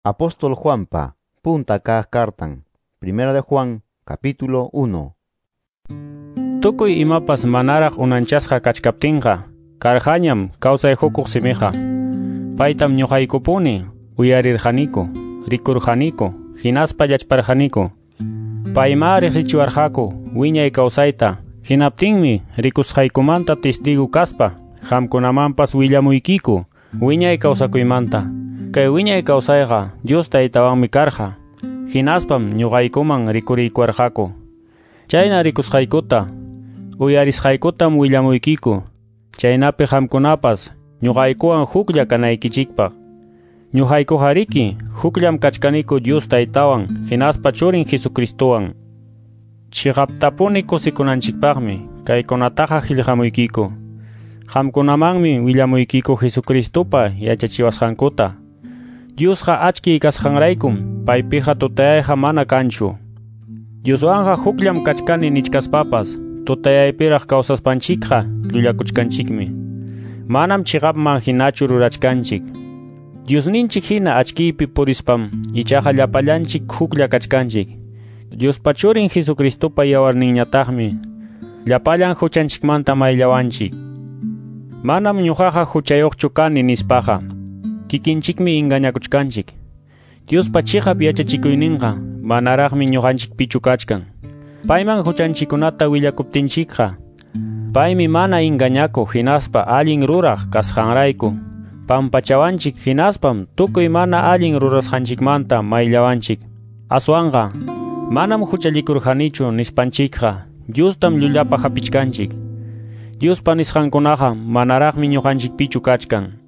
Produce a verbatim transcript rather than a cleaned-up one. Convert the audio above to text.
Apóstol Juanpa, punta kaq kartan. Primera de Juan, capítulo uno. Tukuy imapas manaraq unanchasqa kachkaptinqa, karqañam kawsay hukuq simiqa. Paytam ñuqaykupuni uyarirqaniku, rikurqaniku, hinaspa llachparqaniku. Payma riqsichiwarqaku wiñay kawsayta, hinaptinmi rikusqaykumanta testigo kaspa, qamkunamanpas willamuykiku wiñay kawsakuymanta. Kay wiñay kawsayqa Dios Taytawanmi karqa, hinaspam ñuqaykuman rikuriykuwarqaku. Chayna rikusqaykuta, uyarisqaykutam willamuykiku, chaynapi qamkunapas ñuqaykuwan huklla kanaykichikpaq. Ñuqaykuqariki hukllam kachkaniku Dios Taytawan hinaspa Churin Jesucristowan. Chiqaptapuni kusikunanchikpaqmi kaykunataqa qillqamuykiku. Qamkunamanmi willamuykiku Jesucristopa yachachiwasqankuta. Diosqa achkiy kasqanraykum paypiqa tutayayqa mana kanchu. Dioswanqa hukllam kachkani nichkaspapas tutayaypiraq kawsaspanchikqa llullakuchkanchikmi. Manam chiqapman hinachu rurachkanchik. Diosninchik hina achkiypi purispam ichaqa llapallanchik huklla kachkanchik. Diospa Churin Jesucristopa yawarninñataqmi llapallan huchanchikmanta mayllawanchik. Manam ñuqaqa huchayuqchu kani nispaqa kikinchikmi engañakuchkanchik. Diospa chiqap yachachikuyninqa manaraqmi ñuqanchikpichu kachkan. Payman huchanchikkunata willakuptinchikqa paymi mana engañakuq hinaspa allin ruraq kasqanrayku pampachawanchik hinaspam tukuy mana allin rurasqanchikmanta mayllawanchik. Aswanqa manam huchallikurqanichu nispanchikqa Diostam llullapaq hapichkanchik. Diospa nisqankunaqa manaraqmi ñuqanchikpichu kachkan.